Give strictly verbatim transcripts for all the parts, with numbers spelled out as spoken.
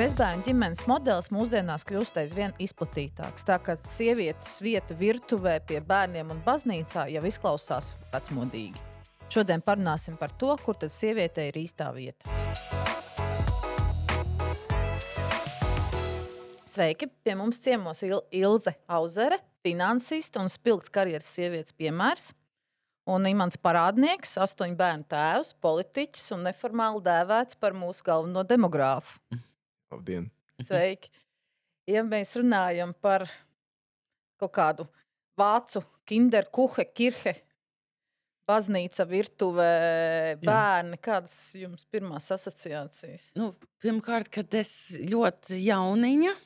Bezbērnu ģimenes modelis mūsdienās kļūst aizvien izplatītāks, tā ka sievietes vieta virtuvē pie bērniem un baznīcā jau izklausās vecmodīgi. Šodien parunāsim par to, kur tad sievietei ir īstā vieta. Sveiki! Pie mums ciemos Il- Ilze Auzere, finansiste un spilgts karjeras sievietes piemērs, un Imants Parādnieks, astoņu bērnu tēvs, politiķis un neformāli dēvēts par mūsu galveno demogrāfu. Labdien! Sveiki! Ja mēs runājam par kaut kādu vācu kinderkuche, kirhe, baznīca, virtuve, bērni, kādas jums pirmās asociācijas? Nu, pirmkārt, kad es ļoti jauniņa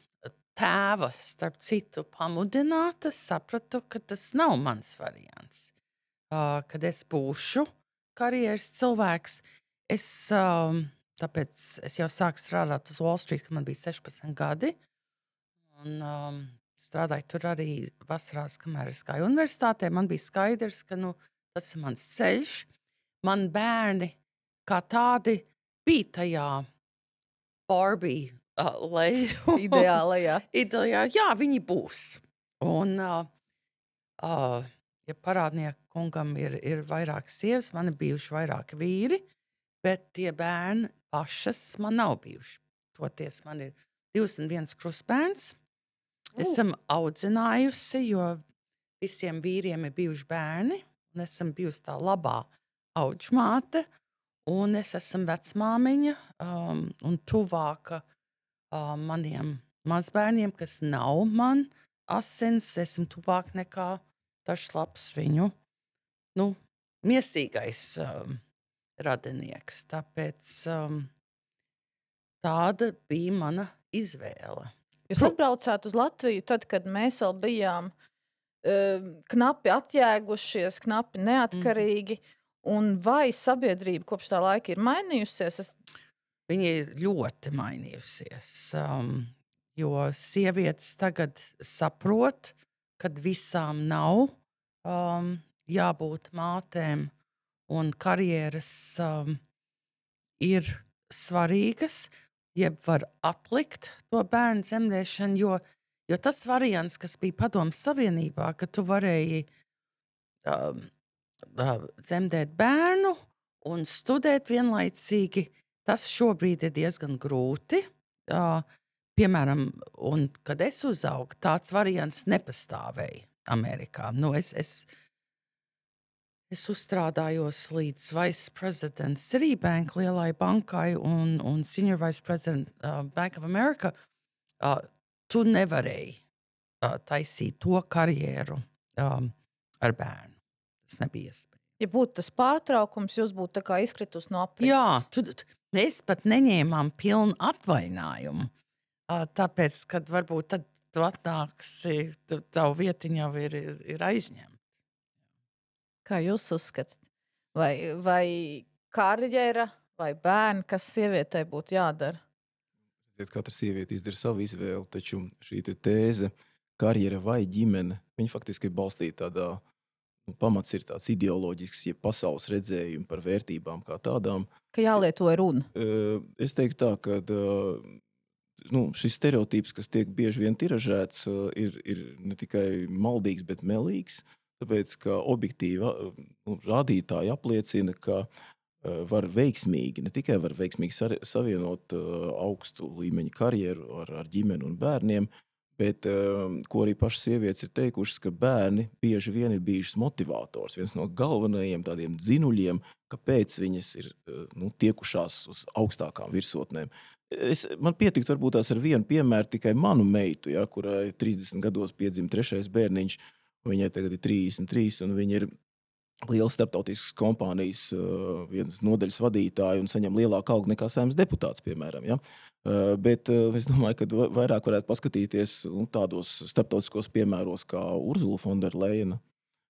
tēva, starp citu, pamudināta, sapratu, ka tas nav mans variants. Uh, kad es būšu karjeras cilvēks, es, um, tāpēc es jau sāku strādāt uz Wall Street, kad man bija sešpadsmit gadi. Un um, strādāju tur arī vasarās, kamēr es gāju universitātē. Man bija skaidrs, ka nu, tas ir mans ceļš. Man bērni kā tādi bija tajā Barbie uh, leju. Ideālajā. Ideālajā, jā, viņi būs. Un, uh, uh, ja Parādnieku kungam ir, ir vairāk sievas, man ir bijuši vairāki vīri, bet tie bērni pašas man nav bijuši. Toties man ir divs un viens krustbērns. Esam audzinājusi, jo visiem vīriem ir bijuši bērni, un esam bijusi tā labā audžmāte, un es esmu vecmāmiņa um, un tuvāka um, maniem mazbērniem, kas nav man asins, esmu tuvāk nekā tašs labs viņu, nu, miesīgais um, radinieks. Tāpēc um, tāda bija mana izvēle. Jūs atbraucāt uz Latviju tad, kad mēs vēl bijām uh, knapi atjēgušies, knapi neatkarīgi, un vai sabiedrība kopš tā laika ir mainījusies? Es... Viņa ir ļoti mainījusies, um, jo sievietes tagad saprot, kad visām nav um, jābūt mātēm, un karjeras um, ir svarīgas, jeb var atlikt to bērnu dzemdēšanu, jo, jo tas variants, kas bija Padomes Savienībā, ka tu varēji um, uh, dzemdēt bērnu un studēt vienlaicīgi, tas šobrīd ir diezgan grūti. Uh, piemēram, un kad es uzaugu, tāds variants nepastāvēja Amerikā. Nu, es, es, es uzstrādājos līdz vice president Citibank lielai bankai un, un senior vice president uh, Bank of America. Uh, tu nevarēji uh, taisīt to karjeru um, ar bērnu. Tas nebija iespējams. Ja būtu tas pārtraukums, jūs būtu tā kā izkritus no aprits. Jā, tu, tu, mēs pat neņēmām pilnu atvainājumu. Uh, tāpēc, kad varbūt tad tu atnāksi, tu, tavu vietiņu jau ir, ir, ir aizņemta. Kā jūs uzskatāt? Vai, vai karjera, vai bērni, kas sievietei būtu jādara? Katra sieviete izdara savu izvēli, taču šī te tēze, karjera vai ģimene, viņa faktiski ir balstīta tādā, nu, pamats ir tāds ideoloģisks, ja pasaules redzējumi par vērtībām kā tādām. Ka jālieto runa. Es teiktu tā, ka nu, šis stereotips, kas tiek bieži vien tiražēts, ir, ir ne tikai maldīgs, bet melīgs, tāpēc, ka objektīvi nu, rādītāji apliecina, ka var veiksmīgi, ne tikai var veiksmīgi savienot augstu līmeņa karjeru ar, ar ģimeni un bērniem, bet, ko arī pašas sievietes ir teikušas, ka bērni bieži vien ir bijušas motivators, viens no galvenajiem tādiem dzinuļiem, kāpēc viņas ir nu, tiekušās uz augstākām virsotnēm. Es, man pietiktu varbūt tās ar vienu piemēru tikai manu meitu, ja, kurai trīsdesmit gados piedzima trešais bērniņš, viņai tagad ir trīsdesmit trīs, un viņa ir liela starptautiskas kompānijas uh, vienas nodaļas vadītāja un saņem lielāku algu nekā Saeimas deputāts, piemēram. Ja? Uh, bet uh, es domāju, ka vairāk varētu paskatīties nu, tādos starptautiskos piemēros kā Urzula Fonderleina,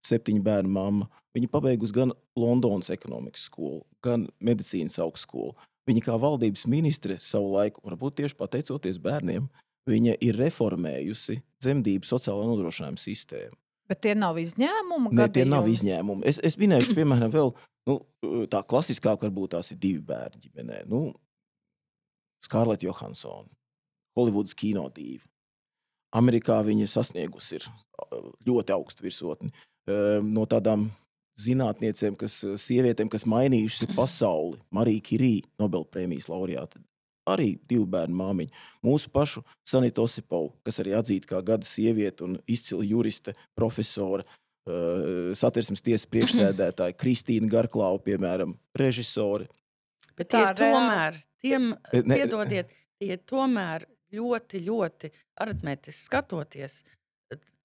septiņu bērnu mamma. Viņa pabeigusi gan Londonas ekonomikas skolu, gan medicīnas augstskolu. Viņa kā valdības ministre savu laiku, varbūt tieši pateicoties bērniem, viņa ir reformējusi dzemdību sociālo nodrošinājumu sistēmu. Bet tie nav izņēmumi? Ne, tie nav izņēmumi. Es, es minēšu, piemēram, vēl nu, tā klasiskāk varbūt tās ir divi bērni ģimenē. Nu, Scarlett Johansson, Holivudas kinodīva. Amerikā viņa sasniegusi ir ļoti augstu virsotni. No tādām zinātniecēm, kas sievietēm, kas mainījušas pasauli, Marija Kirī, Nobelprēmijas laureāte, arī divu bērnu māmiņa. Mūsu pašu Sanita Osipova, kas arī atzīta kā gada sieviete un izcila juriste, profesora, Satversmes tiesas priekšsēdētāja, Kristīna Garklāva, piemēram, režisori. Bet tie tomēr, tiem, piedodiet, tie tomēr ļoti, ļoti aritmētiski skatoties,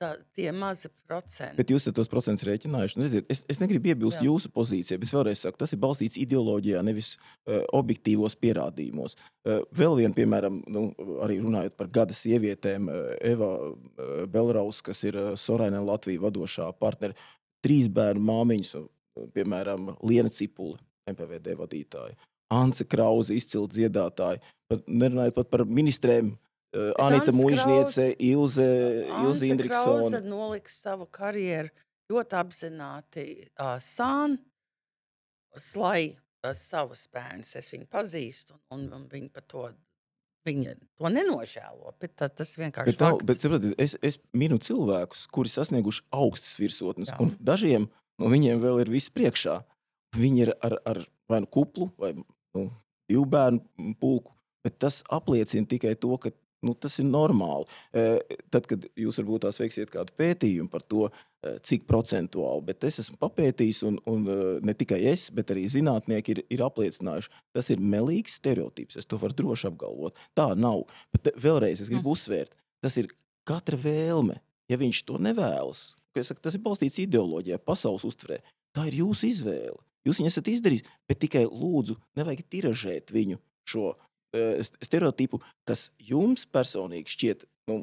tā, tie mazi procenti. Bet jūs ar tos procentus rēķinājuši. Nu, redziet, es, es negribu iebilst Jā. jūsu pozīcijai, bet es vēlreiz saku, tas ir balstīts ideoloģijā, nevis uh, objektīvos pierādījumos. Uh, vēl vien, piemēram, nu, arī runājot par gada sievietēm, uh, Eva uh, Belraus, kas ir uh, Sorainen Latvija vadošā partneri, trīs bērnu māmiņas, uh, piemēram, Liena Cipule, M P V D vadītāja, Ance Krauze, izcila dziedātāja, pat nerunājot pat par ministrēm, Uh, Anita Muižniece, Ilze, Ilze Indriksone. Anse Krauze noliks savu karjeru ļoti apzināti uh, sān, slai uh, savus bērnus. Es viņu pazīstu, un, un viņi par to, viņa to nenožēlo, bet tā, tas vienkārši bet, fakts. Bet, sapratiet, es, es minu cilvēkus, kuri sasnieguši augstas virsotnes, Jā. un dažiem no viņiem vēl ir viss priekšā. Viņi ir ar, ar vai nu kuplu, vai nu, divu bērnu pulku, bet tas apliecina tikai to, ka nu, tas ir normāli. Tad, kad jūs varbūt tās veiksiet kādu pētījumu par to, cik procentuāli, bet es esmu papētījis, un, un ne tikai es, bet arī zinātnieki ir, ir apliecinājuši. Tas ir melīgs stereotips, es to varu droši apgalvot. Tā nav. Bet vēlreiz es gribu uzsvērt, tas ir katra vēlme. Ja viņš to nevēlas, es saku, tas ir balstīts ideoloģijā, pasaules uztverē, tā ir jūsu izvēle. Jūs viņu esat izdarījis, bet tikai lūdzu, nevajag tiražēt viņu šo stereotipu, kas jums personīgi šķiet, nu,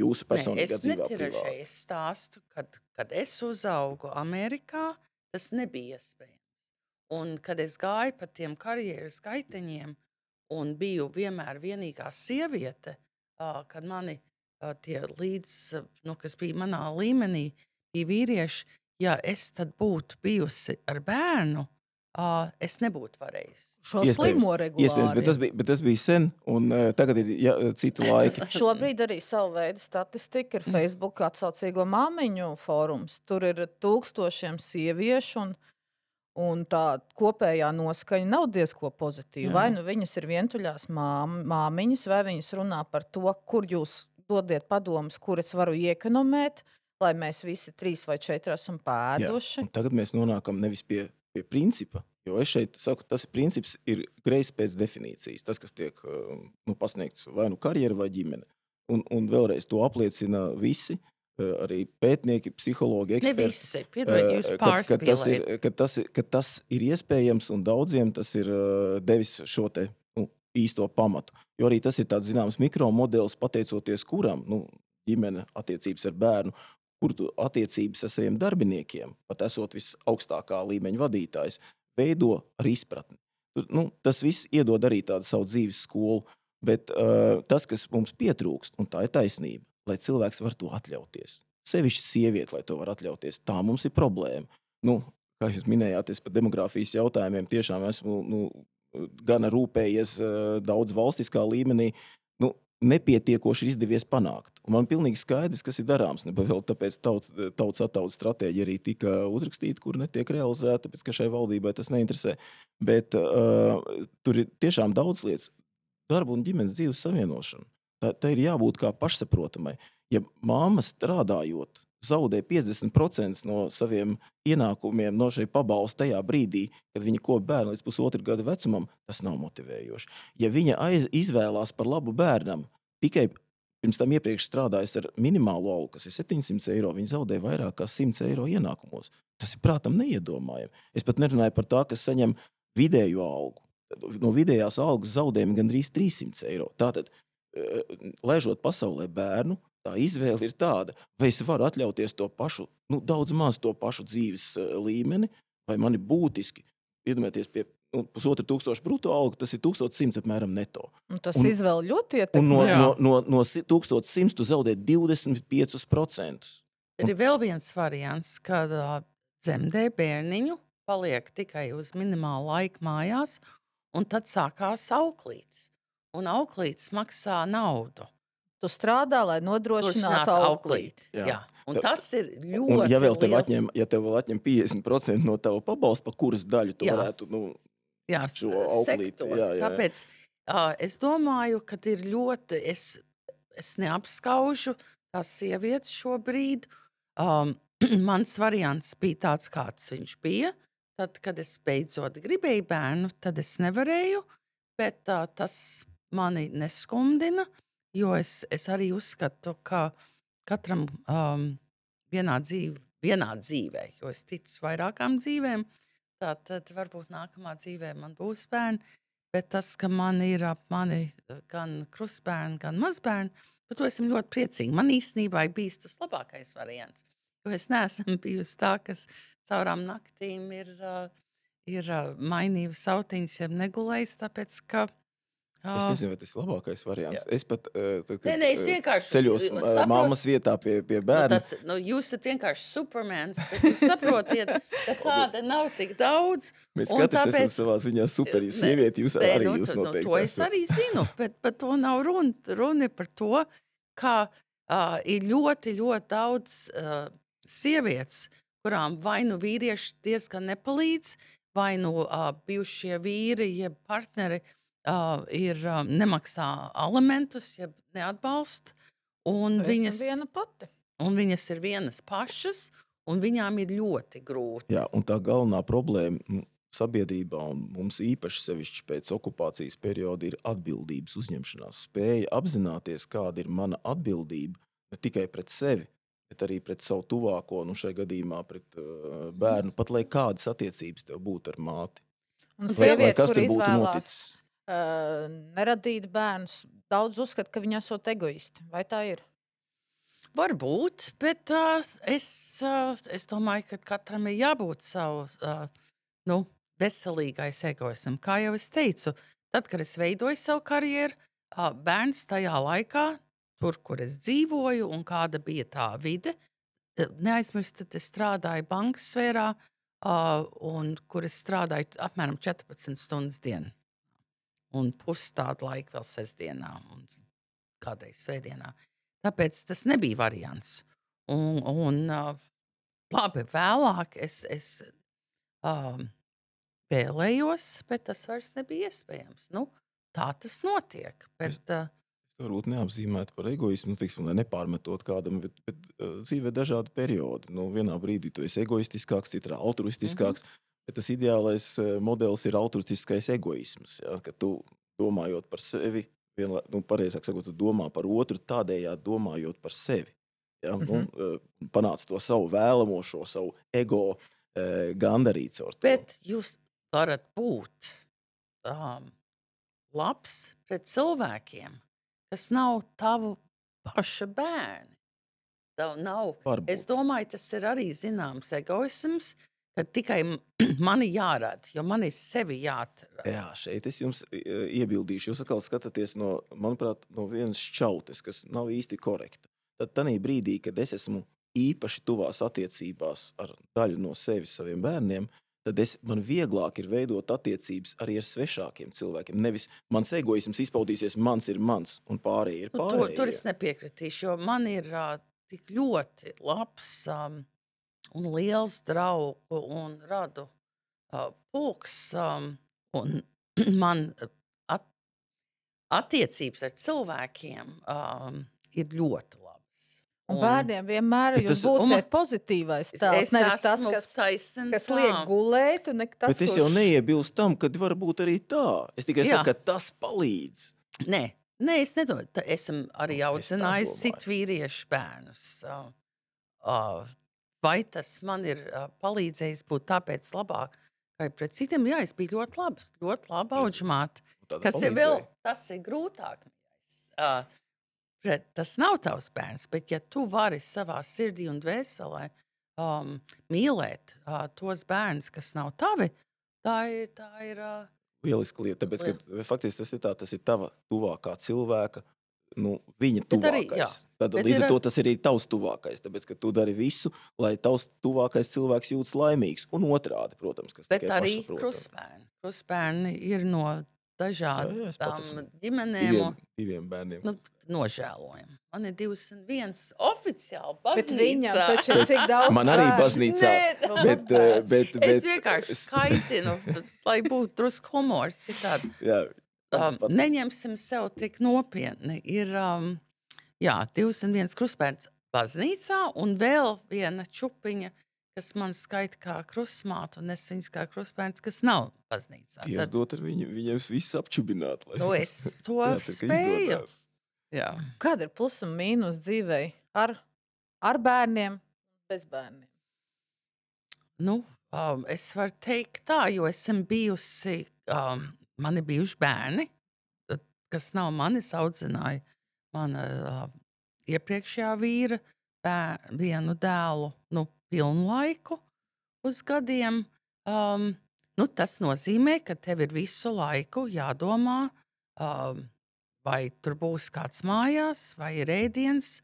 jūsu personīgā dzīvā privāti. Es netiražēju, es stāstu, kad, kad es uzaugu Amerikā, tas nebija iespējams. Un kad es gāju pa tiem karjeras gaiteņiem un biju vienmēr vienīgā sieviete, kad mani tie līdz, nu, kas bija manā līmenī, bija vīrieši, ja es tad būtu bijusi ar bērnu, es nebūtu varējusi. Šo slimo regulāri. Bet tas bija, bet tas bija sen, un uh, tagad ir ja, citi laiki. Šobrīd arī savu veidu statistika ir Facebook atsaucīgo māmiņu fórums. Tur ir tūkstošiem sieviešu, un, un tā kopējā noskaņa nav diezko pozitīva. Jā. Vai nu viņas ir vientuļās mām, māmiņas, vai viņas runā par to, kur jūs dodiet padomus, kur es varu iekonomēt, lai mēs visi trīs vai četri esam pēduši. Jā, un tagad mēs nonākam nevis pie, pie principa, jo es šeit saku, tas princips ir greizs pēc definīcijas, tas, kas tiek nu, pasniegts vai nu karjera vai ģimene. Un, un vēlreiz to apliecina visi, arī pētnieki, psihologi, eksperti. Ne visi, piedod, jūs pārspīlējat. Ka tas, ka tas ir iespējams un daudziem tas ir devis šo te nu, īsto pamatu. Jo arī tas ir tāds zināms mikromodelis, pateicoties kuram nu, ģimene attiecības ar bērnu, kur tu attiecības ar saviem darbiniekiem, pat esot visaugstākā līmeņa vadītājs, veido ar izpratni. Nu, tas viss iedod arī tādu savu dzīves skolu, bet uh, tas, kas mums pietrūkst, un tā ir taisnība, lai cilvēks var to atļauties. Sevišķi sievieti, lai to var atļauties, tā mums ir problēma. Nu, kā jūs minējāties par demogrāfijas jautājumiem, tiešām esmu nu, gana rūpējies uh, daudz valstiskā līmenī, nu, nepietiekoši izdevies panākt. Un man pilnīgi skaidrs, kas ir darāms. Neba vēl tāpēc tauts, tauts attautas stratēģija arī tika uzrakstīta, kur netiek realizēta, tāpēc, ka šai valdībai tas neinteresē. Bet uh, tur ir tiešām daudz lietas. Darba un ģimenes dzīves savienošana. Tā, tā ir jābūt kā pašsaprotamai. Ja māma strādājot, zaudē piecdesmit procenti no saviem ienākumiem no šai pabalsta tajā brīdī, kad viņa kop bērnu līdz pusotru gadu vecumam, tas nav motivējoši. Ja viņa aiz, izvēlās par labu bērnam, tikai pirms tam iepriekš strādājas ar minimālo algu, kas ir septiņsimt eiro, viņa zaudē vairāk kā simt eiro ienākumos. Tas ir prātam neiedomājami. Es pat nerunāju par tā, kas saņem vidējo algu. No vidējās algas zaudējumi gandrīz trīssimt eiro. Tātad, laižot pasaulē bērnu, tā izvēle ir tāda, vai es varu atļauties to pašu, nu, daudz maz to pašu dzīves līmeni, vai mani būtiski, iedomājieties pie nu, pusotru tūkstošu bruto algu, tas ir tūkstoš simts apmēram neto. Un tas un, izvēle ļoti ietekmē. Un no, no, no, no tūkstoš simts tu zaudē divdesmit piecus procentus. Ir vēl viens variants, kad uh, dzemdē bērniņu, paliek tikai uz minimālu laiku mājās, un tad sākās auklītes. un auklītis maksā naudu. Tu strādā, lai nodrošinātu Nodrošināt auklīti. Jā. Jā. Jā. Un tas ir ļoti Un ja vēl tev liels- atņem, ja tev vēl atņem piecdesmit procenti no tava pabalsta, pa kuras daļu tu Jā. varētu, nu, jā, šo auklīti, sektoru. jā, jā. Tāpēc uh, es domāju, ka ir ļoti, es, es neapskaužu tās sievietes šobrīd. Um, mans variants bija tāds, kāds viņš bija. Tad, kad es beidzot gribēju bērnu, tad es nevarēju, bet uh, tas mani neskumdina, jo es, es arī uzskatu, ka katram um, vienā, dzīve, vienā dzīvē, jo es ticu vairākām dzīvēm, tā, tad varbūt nākamā dzīvē man būs bērni, bet tas, ka man ir ap mani gan krustbērni, gan mazbērni, par to esmu ļoti priecīga. Man īstenībā ir bijis tas labākais variants, jo es neesmu bijusi tā, kas caurām naktīm ir, uh, ir uh, mainījusi sautiņas, ja negulējis, tāpēc, ka Es nezinu, vai tas ir labākais variants. Jā. Es pat uh, tad, Nē, nē, es vienkārši ceļos uh, saprotu- mammas vietā pie, pie Nu, bērna. tas, nu, jūs esat vienkārši supermens, bet jūs saprotiet, ka tāda nav tik daudz. Mēs un katrs tāpēc- esam savā ziņā superi Nē, sievieti, jūs nē, arī nu, jūs tu- nu, noteikti to es esat. arī zinu, bet par to nav runa. Runa ir par to, ka uh, ir ļoti, ļoti daudz uh, sievietes, kurām vai nu vīrieši diezgan nepalīdz, vai nu uh, bijušie vīri, jeb partneri uh, ir, uh, nemaksā alimentus, jeb neatbalsta. Un Viņas viņas, viena pati. un viņas ir vienas pašas, un viņām ir ļoti grūti. Jā, un tā galvenā problēma nu, sabiedrībā, un mums īpaši sevišķi pēc okupācijas perioda, ir atbildības uzņemšanās spēja apzināties, kāda ir mana atbildība ne tikai pret sevi, bet arī pret savu tuvāko, nu šai gadījumā pret uh, bērnu, pat lai kādas attiecības tev būtu ar māti. Un Vai, vai sieviete, kas kur tur būtu izvēlās noticis? uh, neradīt bērnus, daudz uzskata, ka viņi esot egoisti. Vai tā ir? Varbūt, bet uh, es, uh, es domāju, ka katram ir jābūt savu uh, nu, veselīgais egoismam. Kā jau es teicu, tad, kad es veidoju savu karjeru, uh, bērns tajā laikā, tur, kur es dzīvoju un kāda bija tā vide, eh, neaizmirstiet, es strādāju bankas sfērā, uh, un kur es strādāju apmēram četrpadsmit stundas dienā. Un pusi tādu laiku vēl sestdienā un kādreiz svētdienā. Tāpēc tas nebija variants. Un, un uh, labi, vēlāk es, es um, vēlējos, bet tas vairs nebija iespējams. Nu, tā tas notiek. Bet, uh, Es varbūt neapzīmētu par egoismu, nu, teiksim, lai nepārmetot kādam, bet, bet uh, dzīvē dažādi periodi. Nu, vienā brīdī tu esi egoistiskāks, citā altruistiskāks, mm -hmm. bet tas ideālais uh, modelis ir altruistiskais egoisms. Ja? Ka tu domājot par sevi, vienlā, nu, pareizāk sakot, tu domā par otru, tādējādi domājot par sevi. Ja? Mm -hmm. nu, uh, panāc to savu vēlamo, šo savu ego uh, gandarīt caur to. bet jūs varat būt um, labs pret cilvēkiem, kas nav tavu paša bērni. Tev nav. Varbūt. Es domāju, tas ir arī zināms egoisms, ka tikai m- mani jārada, jo man ir sevi jāatrada. Jā, šeit es jums e, iebildīšu. Jūs atkal skatāties no, manuprāt, no vienas šķautes, kas nav īsti korekta. Tad tanī brīdī, kad es esmu īpaši tuvās attiecībās ar daļu no sevis saviem bērniem, tad es, man vieglāk ir veidot attiecības arī ar svešākiem cilvēkiem. Nevis mans egoisms izpaudīsies, mans ir mans, un pārējie ir Nu, pārējie. tur, tur es nepiekritīšu, jo man ir uh, tik ļoti labs um, un liels draugu un radu uh, pulks. Um, un man at, attiecības ar cilvēkiem um, ir ļoti labas. Un bērniem vienmēr Bet jūs tas- būsiet pozitīvais tēls, nevis tas, kas, taisn, kas liek gulēt, un ne tas, Bet es jau neiebilstu tam, ka var būt arī tā. Es tikai Jā. saku, ka tas palīdz. Nē, nē, es nedomāju. Tā Esmu arī Nu, es tā audzinājis domāju. citu vīriešu bērnus. Uh, uh, vai tas man ir uh, palīdzējis būt tāpēc labāk, kā pret citiem? Jā, es biju ļoti labi, ļoti labi audzmāte. Tāda Kas ir palīdzēja. vēl, tas ir grūtāk. Uh, pret, tas nav tavs bērns, bet ja tu vari savā sirdī un dvēselē um, mīlēt uh, tos bērnus, kas nav tavi, tā ir, tā ir uh, Lieliska lieta, tāpēc, ka faktiski tas ir tā, tas ir tava tuvākā cilvēka, nu, viņa Bet arī, tuvākais. jā. Tad Bet līdz ir ar ar- to tas ir arī tavs tuvākais, tāpēc, ka tu dari visu, lai tavs tuvākais cilvēks jūtas laimīgs. Un otrādi, protams, kas Bet tikai arī pašsaprotami. krustbērni. Krustbērni ir no dažādām ģimenēm. Diviem, diviem bērniem. Nu, nožēlojam. Man ir divdesmit viens oficiāli Bet baznīcā. viņam taču ir cik daudz Man arī bērnu. baznīcā. Nē, bet, eh, bet, bet, Es vienkārši skaitinu, lai būtu drusku humors. Citādi. Jā, Um, neņemsim sev tik nopietni. Ir um, jā, divdesmit viens krustbērns baznīcā un vēl viena čupiņa, kas man skaita kā krustmāte, un es viņas kā krustbērns, kas nav baznīcā. Dievs dot ar viņu, viņiem viss apčubināt. Lai... Nu, es to Jā, tā kā spēju. izdodās. Jā. Kāda ir plus un mīnus dzīvei ar, ar bērniem, bez bērniem? Nu, um, es varu teikt tā, jo esmu bijusi, um, man ir bijuši bērni, kas nav manis, audzināja mana uh, iepriekšējā vīra bēr, vienu dēlu, nu, pilnu laiku uz gadiem. Um, nu, tas nozīmē, ka tev ir visu laiku jādomā, um, vai tur būs kāds mājās, vai ir ēdiens,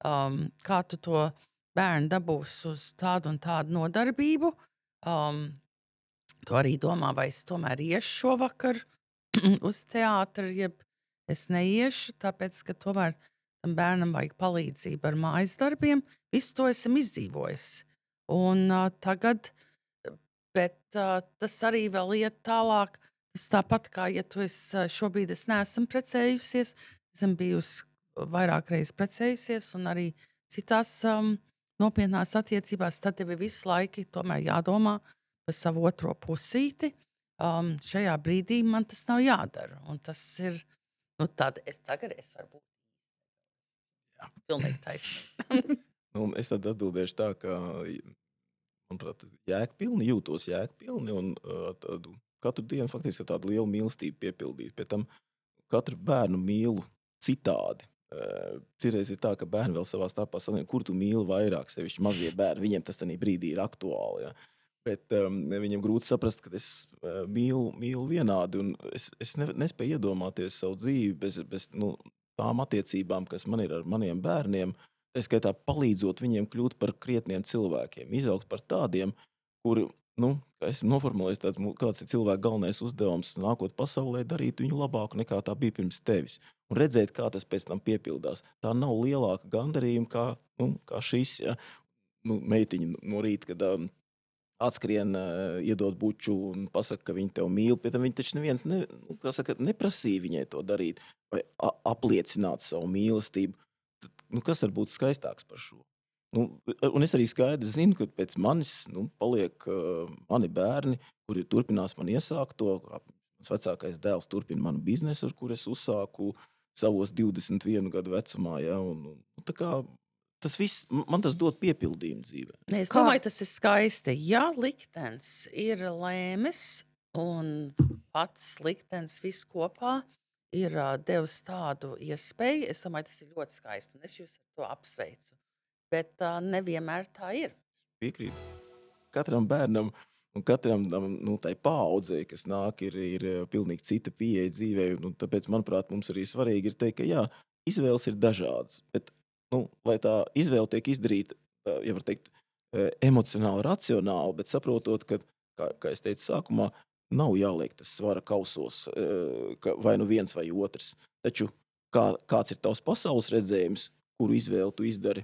um, kā tu to bērnu dabūs uz tādu un tādu nodarbību. Um, tu arī domā, vai es tomēr iešu šovakar uz teātri, jeb es neiešu, tāpēc, ka tomēr tam bērnam vajag palīdzību ar mājas darbiem. Visu to esam izdzīvojis. Un uh, tagad, bet uh, tas arī vēl iet tālāk. Tas tāpat kā, ja tu esi uh, šobrīd es neesmu precējusies, esmu bijusi vairāk reizes precējusies un arī citās um, nopietnās attiecībās, tad tev ir visu laiku tomēr jādomā par savu otro pusīti. Um, šajā brīdī man tas nav jādara. Un tas ir, nu tad es tagad es varu būt. Jā. Pilnīgi taisnīgi. Nu, es tad atbildēšu tā, ka, manuprāt, jēgpilni, jūtos jēgpilni un uh, tādu, katru dienu faktiski tādu lielu mīlestību piepildīt. Pie tam katru bērnu mīlu citādi. Uh, Cirreiz ir tā, ka bērni vēl savā starpā sanāk, kur tu mīli vairāk, sevišķi mazie bērni, viņiem tas tanī brīdī ir aktuāli. Ja? Bet um, viņam grūti saprast, ka es uh, mīlu, mīlu vienādi, un es, es ne, nespēju iedomāties savu dzīvi bez, bez nu, tām attiecībām, kas man ir ar maniem bērniem, tā skaitā palīdzot viņiem kļūt par krietniem cilvēkiem, izaugt par tādiem, kuri, nu, kā esmu noformulējis, tāds, kāds ir cilvēka galvenais uzdevums nākot pasaulē, darīt viņu labāku nekā tā bija pirms tevis. Un redzēt, kā tas pēc tam piepildās. Tā nav lielāka gandarījuma kā, nu, kā šis, ja? Nu, meitiņa no rīta, kad um, atskrien, uh, iedod buču un pasaka, ka viņi tev mīl, pēc tam viņi taču neviens ne, nu, saka, neprasīja viņai to darīt vai a, apliecināt savu mīlestību. Tad, nu, kas var būt skaistāks par šo? Nu, un es arī skaidri zinu, ka pēc manis nu, paliek uh, mani bērni, kuri turpinās man iesākt to. Mans vecākais dēls turpina manu biznesu, ar kur es uzsāku savos divdesmit vienu gadu vecumā. Ja, un, un, tā kā tas viss, man tas dod piepildījumu dzīvē. Es domāju, tas ir skaisti. Ja liktenis ir lēmis un pats liktenis viss kopā ir uh, devis tādu iespēju, es domāju, tas ir ļoti skaisti. Un es jūs ar to apsveicu. Bet uh, nevienmēr tā ir. Piekrīt. Katram bērnam un katram nu, tai paaudzei, kas nāk, ir, ir pilnīgi cita pieeja dzīvē. Un tāpēc, manuprāt, mums arī svarīgi ir teikt, ka jā, izvēles ir dažādas, bet nu, lai tā izvēle tiek izdarīta, ja var teikt, emocionāli, racionāli, bet saprotot, ka, kā, kā es teicu sākumā, nav jāliek tas svara kausos, ka vai nu viens vai otrs. Taču kā, kāds ir tavs pasaules redzējums, kuru izvēli tu izdari,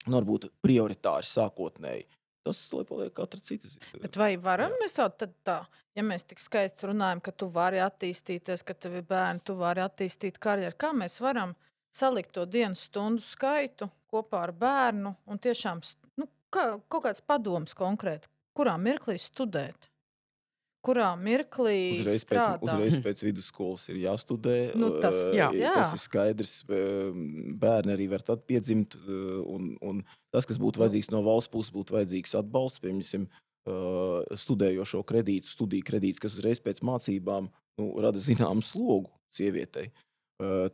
nu, varbūt prioritāri sākotnēji. Tas, lai paliek katra citas. Bet vai varam jā. Mēs tā, tad tā, ja mēs tik skaisti runājam, ka tu vari attīstīties, ka tev ir bērni, tu vari attīstīt karjeru, kā mēs varam salikt to dienu stundu skaitu kopā ar bērnu un tiešām nu, kā, kaut kāds padoms konkrēti, kurā mirklī studēt, kurā mirklī uzreiz strādāt. Pēc, uzreiz pēc vidusskolas ir jāstudē, nu, tas, jā. tas ir skaidrs, bērni arī var tad piedzimt, un, un tas, kas būtu vajadzīgs no valsts puses, būtu vajadzīgs atbalsts, piemēram, studējošo kredītu, studiju kredīts, kas uzreiz pēc mācībām nu, rada zināmu slogu sievietei.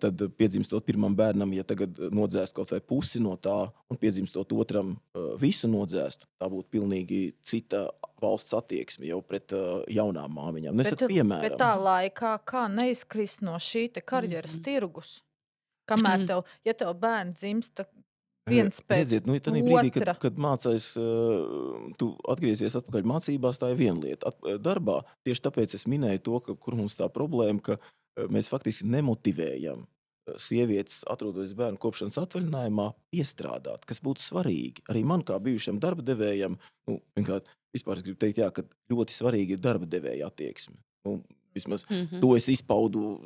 Tad piedzimstot pirmam bērnam, ja tagad nodzēst kaut vai pusi no tā un piedzimstot otram visu nodzēstu, tā būtu pilnīgi cita valsts attieksme jau pret jaunām māmiņām. Nesat piemēram. Bet tā laikā kā neizkrist no šī te karjeras mm-hmm. tirgus? Kamēr tev, ja tev bērni dzimsta Viens pēc Redziet, nu, tad brīdī, kad, otra. kad mācais, uh, tu atgriezies atpakaļ mācībās, tā ir viena lieta. At, darbā tieši tāpēc es minēju to, ka, kur mums tā problēma, ka uh, mēs faktiski nemotivējam uh, sievietes, atrodoties bērnu kopšanas atvaļinājumā, piestrādāt, kas būtu svarīgi. Arī man kā bijušam darba devējam, nu, vienkārt, vispār es gribu teikt, jā, ka ļoti svarīgi ir darba devēja attieksme. Nu, vismaz Mhm. to es izpaudu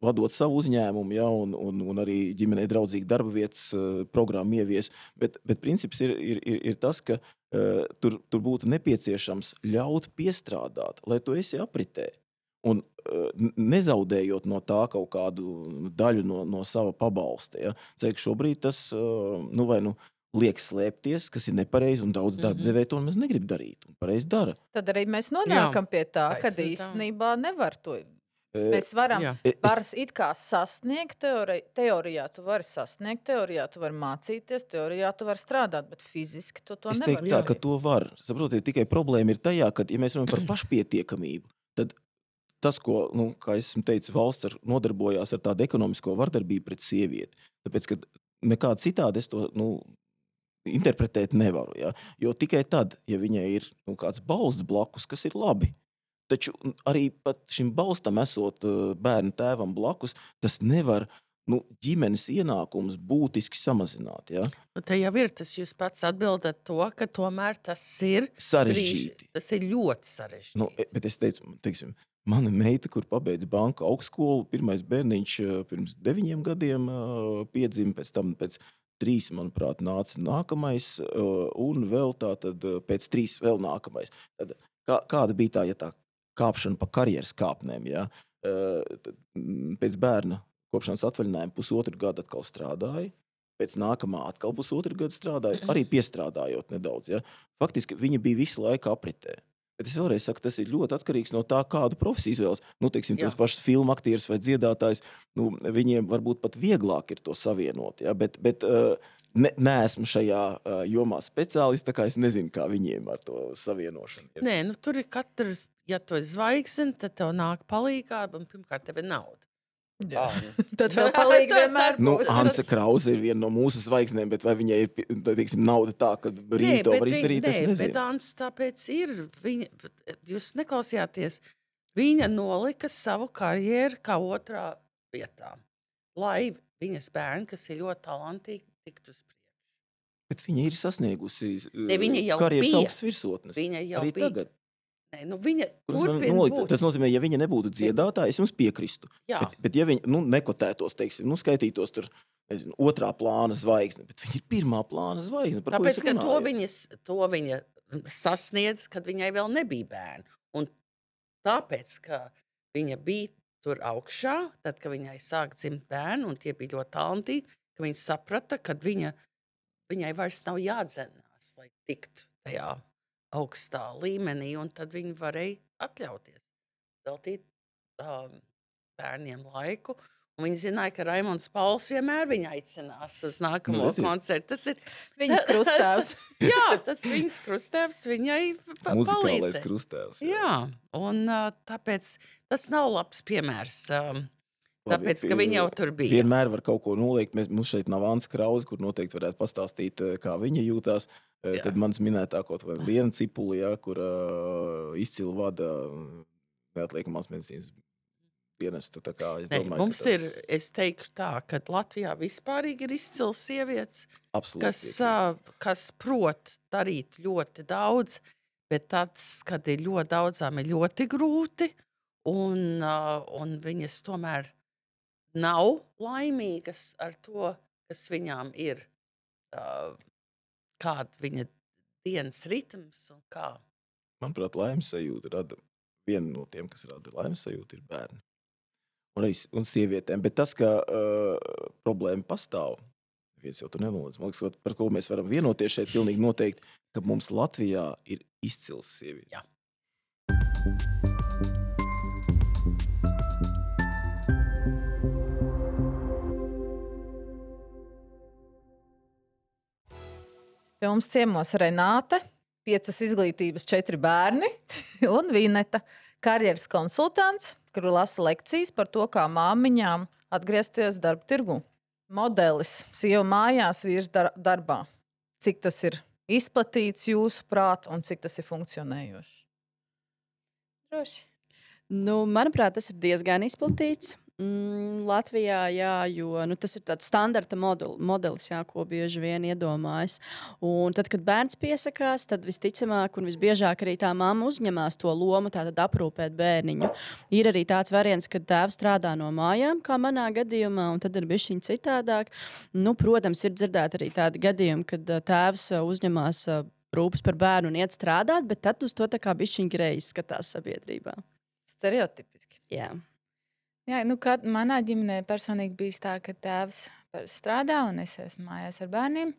vadot savu uzņēmumu, ja, un, un, un arī ģimenei draudzīgu darba vietas uh, programmu ievies. Bet, bet princips ir, ir, ir, ir tas, ka uh, tur, tur būtu nepieciešams ļaut piestrādāt, lai tu esi apritē. Un uh, nezaudējot no tā kaut kādu daļu no, no sava pabalsta. Ja. Ceik, šobrīd tas uh, nu, vai nu liek slēpties, kas ir nepareizi, un daudz darba devēja to mēs negrib darīt. Un pareizi dara. Tad arī mēs nonākam Jā. pie tā, ka Taisnība. īstenībā nevar to. Mēs varam, Jā. varam it kā sasniegt, teori, teorijā tu vari sasniegt, teorijā tu vari mācīties, teorijā tu vari strādāt, bet fiziski tu to Es nevar teiktu tā, ka to var. Saprotiet, tikai problēma ir tajā, ka, ja mēs runājam par pašpietiekamību, tad tas, ko, nu, kā es esmu teicis, valsts ar, nodarbojās ar tādu ekonomisko vardarbību pret sievieti. Tāpēc, ka nekādi citādi es to, nu, interpretēt nevaru. Ja? Jo tikai tad, ja viņai ir nu, kāds balsts blakus, kas ir labi, taču arī pat šim balstam esot uh, bērnu tēvam blakus, tas nevar nu, ģimenes ienākums būtiski samazināt. Ja? Nu, te jau ir tas, jūs pats atbildat to, ka tomēr tas ir Sarežģīti. brīži- Tas ir ļoti sarežģīti. Nu, bet es teicu, teiksim, mana meita, kur pabeidza banka augstskolu, pirmais bērniņš uh, pirms deviņiem gadiem uh, piedzima, pēc tam pēc trīs, manuprāt, nāca nākamais, uh, un vēl tā tad uh, pēc trīs vēl nākamais. Tad, kā, kāda bija tā, ja tā kāpšana pa karjeras kāpnēm, ja? Uh, tad, mm, pēc bērna kopšanas atvaļinājuma pusotru gadu atkal strādāja, pēc nākamā atkal pusotru gadu strādāja, arī piestrādājot nedaudz. Ja? Faktiski viņa bija visu laiku apritē. Bet es vēlreiz saku, tas ir ļoti atkarīgs no tā, kādu profesiju izvēlas. Nu, teiksim, tos pašus filmu aktierus vai dziedātājs, nu, viņiem varbūt pat vieglāk ir to savienot. Ja? Bet, bet uh, ne, neesmu šajā uh, jomā speciālists, tā kā es nezinu, kā viņiem ar to savienošanu. Ja? Nē, nu tur ir katra, ja tu esi zvaigzne, tad tev nāk palīgā, un pirmkārt tev ir nauda. Jā. Um, Tad vēl palīgi vienmēr Nu, būs. Hansa Krause ir viena no mūsu zvaigznēm, bet vai viņai ir, teiksim, nauda tā, ka brīvi to var viņa- izdarīt, es nē, nezinu. bet Ants tāpēc ir, viņa, jūs neklausījāties, viņa nolika savu karjeru kā otrā vietā, lai viņas bērni, kas ir ļoti talantīgi, tiktu uz priekšu. Bet viņa ir sasniegusi Ne, viņa jau karjeras bija. augstas virsotnes. Viņa jau Arī bija. tagad. Nē, nu viņa Kur es varu turpina nolikt? būt. Tas nozīmē, ja viņa nebūtu dziedātāja, es jums piekristu. Jā. Bet, bet ja viņa nu, nekotētos, teiksim, nu, skaitītos tur, nezinu, otrā plāna zvaigzne, bet viņa ir pirmā plāna zvaigzne. Par ko Tāpēc, es ka to runāju? viņa, to viņa sasniedz, kad viņai vēl nebija bērni. Un tāpēc, ka viņa bija tur augšā, tad, kad viņai sāk dzimt bērni, un tie bija ļoti talantīgi, ka viņa saprata, ka viņa, viņai vairs nav jādzenās, lai tiktu tajā augstā līmenī, un tad viņi varēja atļauties veltīt um, bērniem laiku. Un viņi zināja, ka Raimonds Pauls vienmēr viņu aicinās uz nākamo Nu, redziet. koncertu. Tas ir Viņas krustāvs. Jā, tas viņas krustēvs viņai pa- Muzikālais palīdzēja. krustēvs. Jā, un uh, tāpēc tas nav labs piemērs. Um, Labi, tāpēc, ka pie- viņi jau tur bija. Vienmēr var kaut ko noliekt. Mēs, mums šeit nav Ansa Krause, kur noteikti varētu pastāstīt, eh, kā viņa jūtās. Eh, Jā. Tad mans minētā kaut vai Liena Cipuli, ja, kur uh, izcili vada neatliekamās medicīnas dienestu. Tā kā es Nē, domāju, mums ka tas ir, es teikšu tā, ka Latvijā vispārīgi ir izcils sievietes, absolūti kas, piekrītu. uh, kas prot darīt ļoti daudz, bet tāds, kad ir ļoti daudzām, ir ļoti grūti, un, uh, un viņas tomēr nav laimīgas ar to, kas viņām ir, uh, kāda viņa dienas ritms un kā. Manuprāt, laimes sajūta rada viena no tiem, kas rada laimes sajūta, ir bērni. Un arī s- un sievietēm. Bet tas, ka uh, problēma pastāv, viens jau tur nenoliedz. Man liekas, ka par ko mēs varam vienoties šeit pilnīgi noteikti, ka mums Latvijā ir izcils sievietes. Jā. Pie mums ciemos Renāte, piecas izglītības, četri bērni un Vineta, karjeras konsultants, kuru lasa lekcijas par to, kā māmiņām atgriezties darba tirgu. modelis sieva mājās, vīrs dar darbā? Cik tas ir izplatīts jūsu prāt un cik tas ir funkcionējoši? Droši. Nu, manuprāt, tas ir diezgan izplatīts. Mm, Latvijā, jā, jo nu, tas ir tāds standarta model, modelis, jā, ko bieži vien iedomājas. Un tad, kad bērns piesakās, tad visticamāk un visbiežāk arī tā mamma uzņemās to lomu, tātad aprūpēt bērniņu. Ir arī tāds variants, kad tēvs strādā no mājām, kā manā gadījumā, un tad ir bišķiņ citādāk. Nu, protams, ir dzirdēt arī tādi gadījumi, kad ā, tēvs ā, uzņemās ā, rūpes par bērnu un iet strādāt, bet tad uz to tā kā bišķiņ greizi skatās sabiedrībā. Stereotipiski. Jā. Jā, nu, kad manā ģimenē personīgi bijis tā, ka tēvs strādā un es esmu mājās ar bērniem.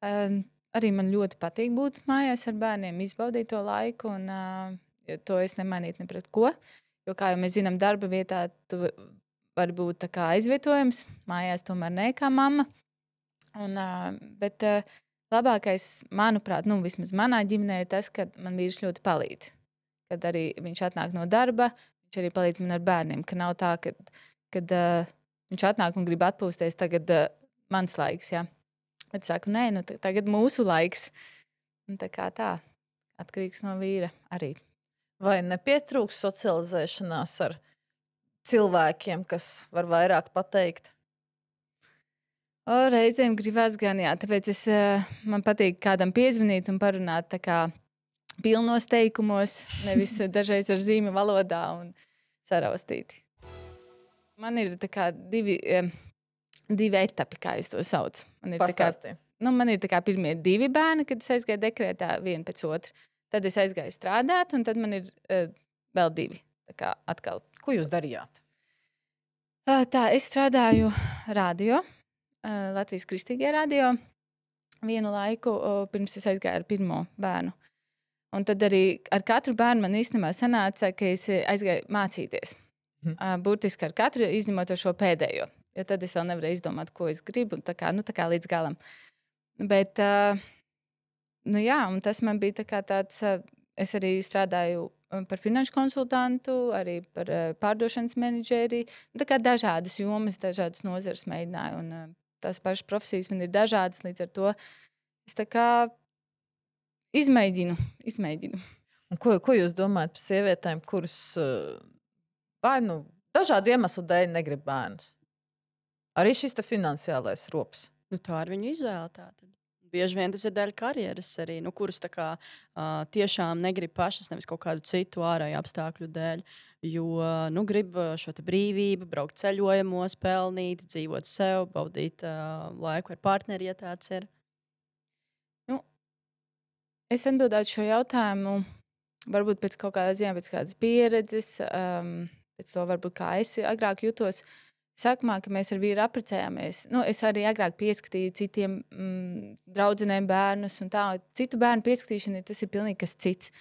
Uh, arī man ļoti patīk būt mājās ar bērniem, izbaudīt to laiku, un uh, to es nemainītu ne pret ko. Jo, kā jau mēs zinām, darba vietā tu vari būt tā kā aizvietojams, mājās tomēr ne kā mamma. Un, uh, bet uh, labākais, manuprāt, nu, vismaz manā ģimenē ir tas, ka man vīrs ļoti palīdz. Kad arī viņš atnāk no darba, viņš arī palīdz man ar bērniem, ka nav tā, ka kad, uh, viņš atnāk un grib atpūsties, tagad uh, mans laiks, jā. Bet saku, nē, nu, tagad mūsu laiks. Un tā kā tā, atkarīgs no vīra arī. Vai nepietrūks socializēšanās ar cilvēkiem, kas var vairāk pateikt? O, reizēm gribās gan, jā, tāpēc es, uh, man patīk kādam piezvanīt un parunāt tā kā pilnos teikumos, nevis dažreiz ar zīmju valodā un saraustīti. Man ir tā kā divi, divi etapi, kā es to saucu. Man ir, tā kā, nu, man ir tā kā pirmie divi bērni, kad es aizgāju dekrētā vienu pēc otru. Tad es aizgāju strādāt, un tad man ir uh, vēl divi. Tā kā atkal. Ko jūs darījāt? Uh, tā, es strādāju radio, uh, Latvijas Kristīgajā radio, vienu laiku, uh, pirms es aizgāju ar pirmo bērnu. Un tad arī ar katru bērnu man īstenībā sanāca, ka es aizgāju mācīties. Mm. Uh, burtiski ar katru, izņemot ar šo pēdējo. Jo tad es vēl nevarēju izdomāt, ko es gribu, tā kā, nu, tā kā līdz galam. Bet, uh, nu jā, un tas man bija tā kā tāds, uh, es arī strādāju par finanšu konsultantu, arī par uh, pārdošanas menedžeri. Tā kā dažādas jomas, dažādas nozares mēģināju, un uh, tās pašas profesijas man ir dažādas, līdz ar to es tā kā Izmēģinu, izmēģinu. Un ko, ko jūs domājat par sievietēm, kuras vai nu dažādu iemeslu dēļ negrib bērnus? Arī šis te finansiālais rops. Nu, tā ir viņu izvēle. Tātad. Bieži vien tas ir daļa karjeras arī, nu, kuras tā kā, uh, tiešām negrib pašas, nevis kaut kādu citu ārēju apstākļu dēļ. Jo nu, grib šo brīvību, braukt ceļojumos, pelnīt, dzīvot sev, baudīt uh, laiku ar partneri, ja tāds ir. Es atbildētu šo jautājumu, varbūt pēc kaut kādas ziņā, pēc kādas pieredzes, um, pēc to varbūt kā es agrāk jutos. Sākumā, ka mēs ar vīru apprecējāmies, nu, es arī agrāk pieskatīju citiem mm, draudzenēm bērnus un tā. Citu bērnu pieskatīšana, tas ir pilnīgi kas cits.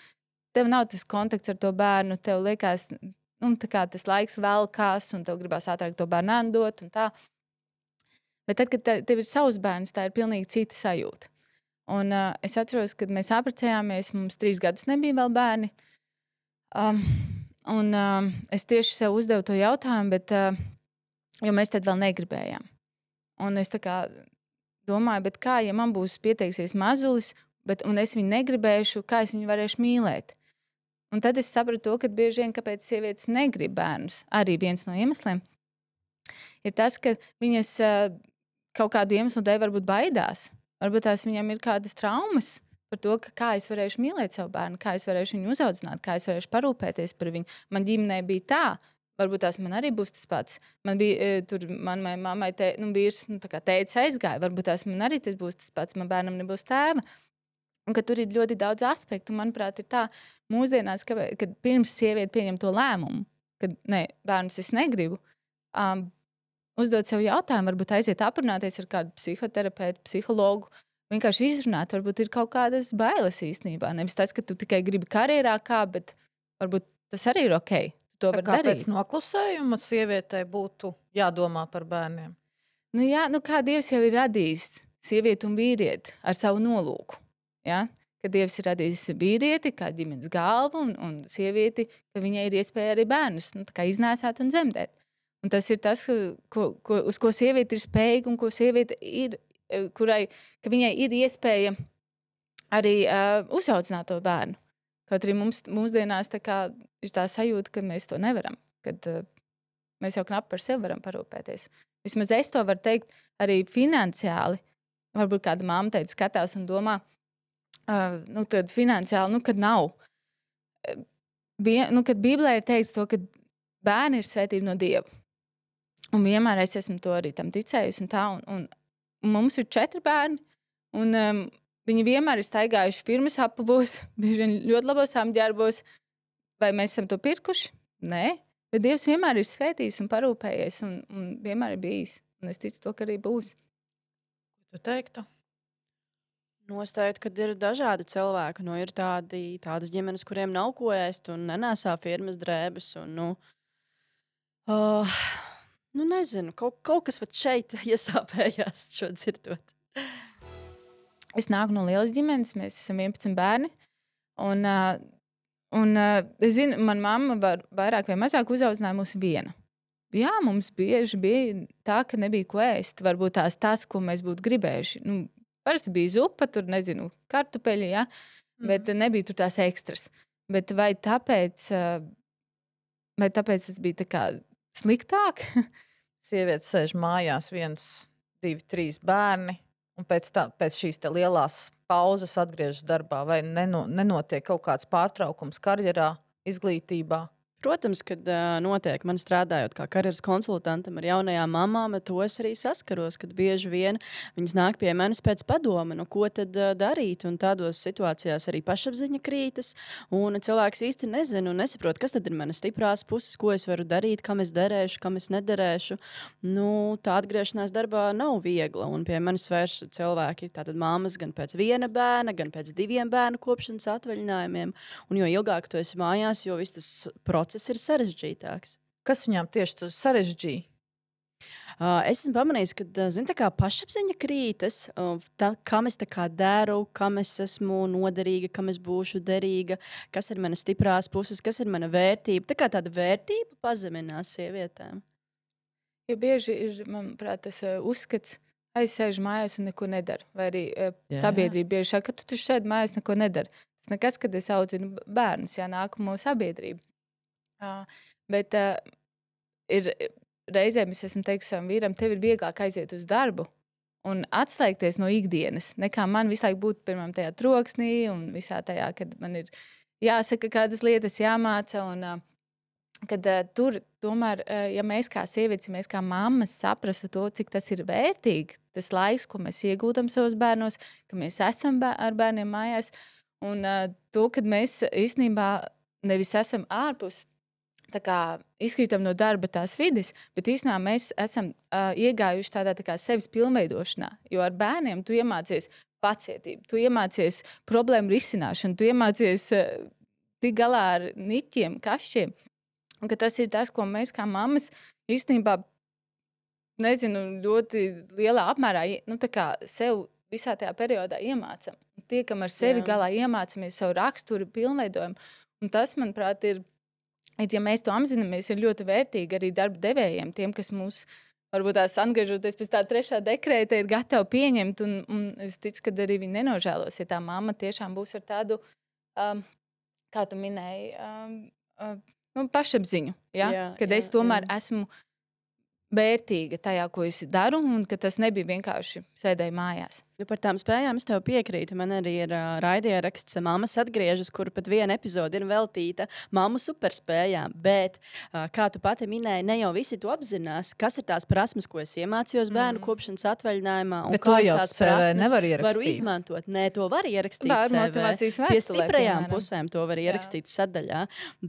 Tev nav tas kontakts ar to bērnu, tev liekas, nu, tā kā tas laiks velkās un tev gribās ātrāk to bērnu andot un tā. Bet tad, kad tev ir savs bērns, tā ir pilnīgi cita sajūta. Un, uh, es atceros, kad mēs apprecējāmies, mums trīs gadus nebija vēl bērni. Um, un uh, es tieši sev uzdevu to jautājumu, bet, uh, jo mēs tad vēl negribējām. Un es tā kā domāju, bet kā, ja man būs pieteiksies mazulis, bet, un es viņu negribēšu, kā es viņu varēšu mīlēt? Un tad es sapratu to, ka bieži vien, kāpēc sievietes negrib bērnus, arī viens no iemesliem, ir tas, ka viņas uh, kaut kādu iemeslu dēļ varbūt baidās. Varbūt tās viņam ir kādas traumas par to, ka kā es varēšu mīlēt savu bērnu, kā es varēšu viņu uzaudzināt, kā es varēšu parūpēties par viņu. Man ģimenē bija tā, varbūt tās man arī būs tas pats. Man bija tur, manai mammai te, nu, vīrs, nu, tā kā teica aizgāja, varbūt tās man arī tas būs tas pats, man bērnam nebūs tēva. Un ka tur ir ļoti daudz aspektu, manuprāt, ir tā mūsdienās, ka, kad pirms sieviete pieņem to lēmumu, kad ne, bērnus es negribu, um, uzdot sev jautājumu, varbūt aiziet aprunāties ar kādu psihoterapeitu, psihologu, vienkārši izrunāt, varbūt ir kaut kādas bailes īstenībā. Nevis tas, ka tu tikai gribi karjerā kā, bet varbūt tas arī ir ok. Tu to var Kāpēc darīt. noklusējuma sievietei būtu jādomā par bērniem? Nu jā, nu kā Dievs jau ir radījis sievieti un vīrieti ar savu nolūku. Ja? Ka Dievs ir radījis vīrieti kā ģimenes galvu un, un sievieti, ka viņai ir iespēja arī bērnus nu, tā kā iznēsāt un dzemdēt. Un tas ir tas, ko, ko, uz ko sieviete ir spējīga un ko sieviete ir, kurai, ka viņai ir iespēja arī uh, uzaudzināt to bērnu. Kaut arī mums mūsdienās tā kā ir tā sajūta, ka mēs to nevaram, kad uh, mēs jau knapi par sevi varam parūpēties. Vismaz es to varu teikt arī finansiāli. Varbūt kāda mamma teica, skatās un domā, uh, nu tad finansiāli, nu kad nav. Bien, nu, kad Bībelē ir teikts to, ka bērni ir svētība no Dieva. Un vienmēr es esmu to arī tam ticējusi un tā. Un, un, un mums ir četri bērni, un um, viņi vienmēr ir staigājuši firmas apavos, bieži vien ļoti labos apģērbos. Vai mēs esam to pirkuši? Nē. Bet Dievs vienmēr ir svētījis un parūpējies, un, un vienmēr ir bijis. Un es ticu to, ka arī būs. Tu teiktu? Nostājot, kad ir dažādi cilvēki. Nu, ir tādi, tādas ģimenes, kuriem nav ko ēst un nenēsā firmas drēbes. Un, nu, uh, nu, nezinu, kaut, kaut kas vat šeit iesāpējās šo dzirdot. Es nāku no lielas ģimenes, mēs esam vienpadsmit bērni. Un, uh, un uh, es zinu, man mamma var vairāk vai mazāk uzaudzināja mūs viena. Jā, mums bieži bija tā, ka nebija ko ēst. Varbūt tās tas, ko mēs būtu gribējuši. Nu, parasti bija zupa, tur nezinu, kartupeļi, ja? mm. bet nebija tur tās ekstras. Bet vai tāpēc, vai tāpēc tas bija tā kā sliktāk? Sieviete sēž mājās, viens, divi, trīs bērni, un pēc, tā, pēc šīs te lielās pauzes atgriežas darbā, vai neno, nenotiek kaut kāds pārtraukums karjerā, izglītībā? Protams, kad uh, notiek, man strādājot kā karjeras konsultantam ar jaunajām mamām, to es arī saskaros, kad bieži vien viņas nāk pie manis pēc padoma, nu ko tad uh, darīt, un tādos situācijās arī pašapziņa krītas, un cilvēks īsti nezina un nesaprot, kas tad ir manas stiprās puses, ko es varu darīt, kam es derēšu, kam es nederēšu. Nu, tā atgriešanās darbā nav viegla, un pie manis vērš cilvēki, tātad māmas gan pēc viena bērna, gan pēc diviem bērnu kopšanas atvaļinājumiem, un jo ilgāk tu esi mājās, jo viss tas process Tas ir sarežģītāks. Kas viņām tieši tu sarežģīja? Uh, es esmu pamanījis, ka zin, tā kā pašapziņa krītas, uh, tā, kam es tā kā daru, kam es esmu noderīga, kam es būšu derīga, kas ir mana stiprās puses, kas ir mana vērtība. Tā kā tāda vērtība pazeminās sievietēm. Jo bieži ir, manuprāt, tas uh, uzskats, aizsēžu mājās un neko nedaru. Vai arī uh, sabiedrība bieži saka, ka tu taču sēdi mājās, neko nedari. Tas nekas, kad es audzinu bērnus, jā, nākamo sabiedrību. Uh, bet uh, ir reizēm es esmu teikusi savam vīram, tev ir vieglāk aiziet uz darbu un atslēgties no ikdienas, nekā man visu laiku būt pirmām tajā troksnī un visā tajā, kad man ir jāsaka kādas lietas, jāmāca. Un, uh, kad uh, tur tomēr, uh, ja mēs kā sievietes, ja mēs kā mammas saprastu to, cik tas ir vērtīgi, tas laiks, ko mēs iegūtam savos bērnos, ka mēs esam bēr- ar bērniem mājās, un uh, to, kad mēs īstenībā nevis esam ārpus, tā kā izkrītam no darba tās vides, bet īstenībā mēs esam uh, iegājuši tādā tā kā sevis pilnveidošanā, jo ar bērniem tu iemācies pacietību, tu iemācies problēmu risināšanu, tu iemācies uh, tik galā ar niķiem, kašķiem, un ka tas ir tas, ko mēs kā mammas īstenībā, nezinu, ļoti lielā apmērā, nu tā kā sev visā tajā periodā iemācam. Tiekam ar sevi Jā. galā, iemācamies savu raksturu, pilnveidojumu, un tas, manuprāt, ir ja mēs to apzināmies, ir ļoti vērtīgi arī darba devējiem, tiem, kas mūs, varbūt tās atgriežoties pēc tā trešā dekrēta, ir gatavi pieņemt, un, un es ticu, ka arī viņi nenožēlos, ja tā mamma tiešām būs ar tādu, um, kā tu minēji, um, um, nu, pašapziņu, ja? jā, kad jā, es tomēr jā. esmu vērtīga tajā, ko es daru, un ka tas nebija vienkārši sēdēju mājās. Jo par tām spējām es tev piekrītu. Man arī ir uh, raidieraksts Mammas atgriežas, kur pat viena epizode ir veltīta mammu superspējām. Bet, uh, kā tu pati minēji, ne jau visi to apzinās, kas ir tās prasmes, ko es iemācījos bērnu mm. kopšanas atvaļinājumā. Un bet to jau C V nevar ierakstīt. Varu izmantot. Nē, to var ierakstīt Var C V. motivācijas vēstulē, Pie stiprajām piemēram. pusēm to var ierakstīt Jā. sadaļā.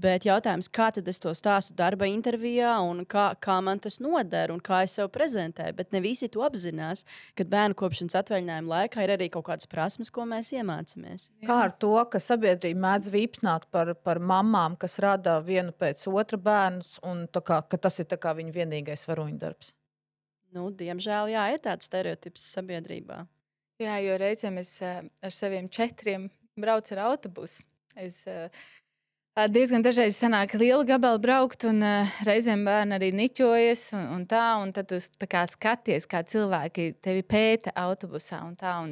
Bet jautājums, kā tad es to stāstu darba intervijā un kā, kā man tas noder un kā es sev prezentēju. Bet ne visi to apzinās, kad bērnu kopšanas atvaļinājuma laikā ir arī kaut kādas prasmes, ko mēs iemācāmies. Kā ar to, ka sabiedrība mēdz vīpsnāt par, par mamām, kas rada vienu pēc otra bērnus, un tā kā, ka tas ir tā kā viņa vienīgais varoņdarbs? Nu, diemžēl, jā, ir tāds stereotips sabiedrībā. Jā, jo reizēm es uh, ar saviem četriem braucu ar autobusu. Es uh, Ā, diezgan dažreiz sanāk liela gabala braukt, un uh, reizēm bērni arī niķojas, un, un tā, un tad tu tā kā skaties, kā cilvēki tevi pēta autobusā, un tā, un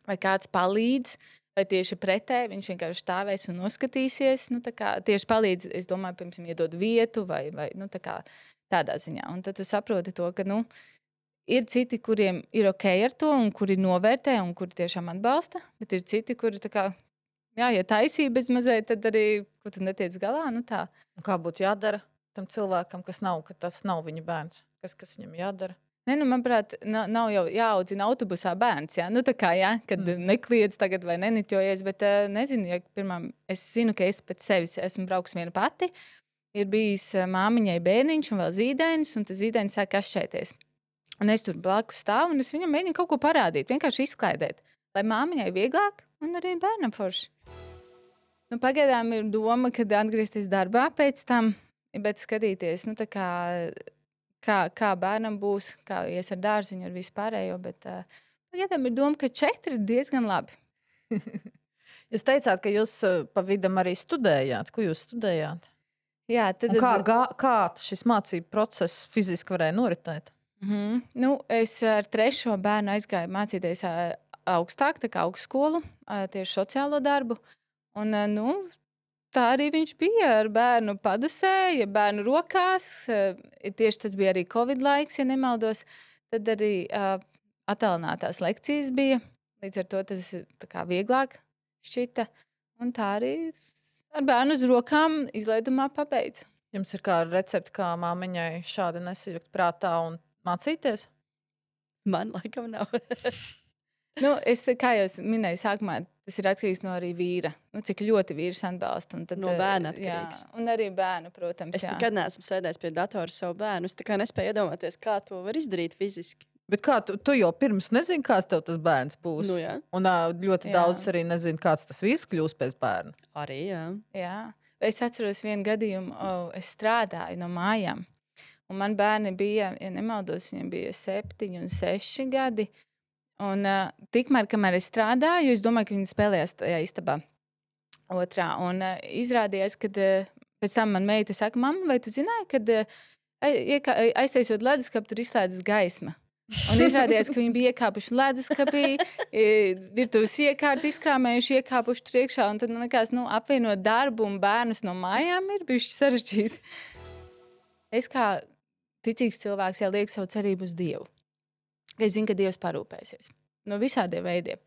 vai kāds palīdz, vai tieši pretēji, viņš vienkārši stāvēs un noskatīsies, nu tā kā tieši palīdz, es domāju, piemēram, iedod vietu, vai, vai nu tā kā tādā ziņā, un tad tu saproti to, ka, nu, ir citi, kuriem ir ok ar to, un kuri novērtē, un kuri tiešām atbalsta, bet ir citi, kuri tā kā, jā, ja taisība bez mazliet, tad arī, ko tu netiec galā, nu tā. Un kā būtu jādara tam cilvēkam, kas nav, ka tas nav viņa bērns? Kas, kas viņam jādara? Ne, nu, manuprāt, nav, nav jau jāaudzina autobusā bērns, jā, nu tā kā, jā, kad mm. nekliedz tagad vai neniķojies, bet uh, nezinu, ja pirmām, es zinu, ka es pēc sevis esmu braukus viena pati, ir bijis uh, māmiņai bērniņš un vēl zīdainis, un tas zīdainis sāk kašķēties. Un es tur blakus stāvu, un es viņam mēģinu kaut ko parādīt, vienkārši izklaidēt, lai māmiņai vieglāk un arī bērnam forši. Nu, pagaidām ir doma, kad atgriezties darbā pēc tam, bet skatīties, nu, tā kā, kā, kā bērnam būs, kā ies ar dārziņu, ar visu pārējo, bet uh, pagaidām ir doma, ka četri ir diezgan labi. Jūs teicāt, ka jūs uh, pa vidam arī studējāt. Ko jūs studējāt? Jā, tad... Un kā, gā, kā šis mācību process fiziski varēja noritēt? Mm-hmm. Nu, es ar trešo bērnu aizgāju mācīties uh, augstāk, tā kā augstskolu, uh, tieši sociālo darbu. Un, nu, tā arī viņš bija ar bērnu padusē, ja bērnu rokās. Tieši tas bija arī Covid laiks, ja nemaldos. Tad arī uh, attālinātās lekcijas bija. Līdz ar to tas tā kā vieglāk šķita. Un tā arī ar bērnu uz rokām izlaidumā pabeidz. Jums ir kā recepti, kā māmiņai šādi nesajukt prātā un mācīties? Man laikam nav. Nu, es, kā jau minēju sākumā, tas ir atkarīgs no arī vīra. Nu, cik ļoti vīrs atbalsta. Un tad, no bērna atkarīgs. Jā, un arī bērna, protams. Es jā. nekad neesmu sēdējis pie datora savu bērnu. Es tā kā nespēju iedomāties, kā to var izdarīt fiziski. Bet kā tu, tu jau pirms nezini, kāds tev tas bērns būs? Nu, jā. Un uh, ļoti Jā. daudz arī nezinu, kāds tas viss kļūs pēc bērna. Arī, jā. Jā. Es atceros vienu gadījumu, oh, es strādāju no mājām. Un man bērni bija, ja nemaldos, viņiem bija septiņi un seši gadi. Un uh, tikmēr, kamēr es strādāju, es domāju, ka viņi spēlējās tajā istabā otrā. Un uh, izrādījās, ka uh, pēc tam man meita saka, mamma, vai tu zināji, ka uh, aiztaisot leduskapu, tur izslēdzas gaisma. Un izrādījās, ka viņi bija iekāpuši leduskapī, virtuves iekārti izkrāmējuši, iekāpuši tur iekšā. Un tad man likās, nu, apvienot darbu un bērnus no mājām ir bišķi sarežģīti. Es kā ticīgs cilvēks jau lieku savu cerību uz Dievu. Es zinu, ka Dievs parūpēsies no visādiem veidiem.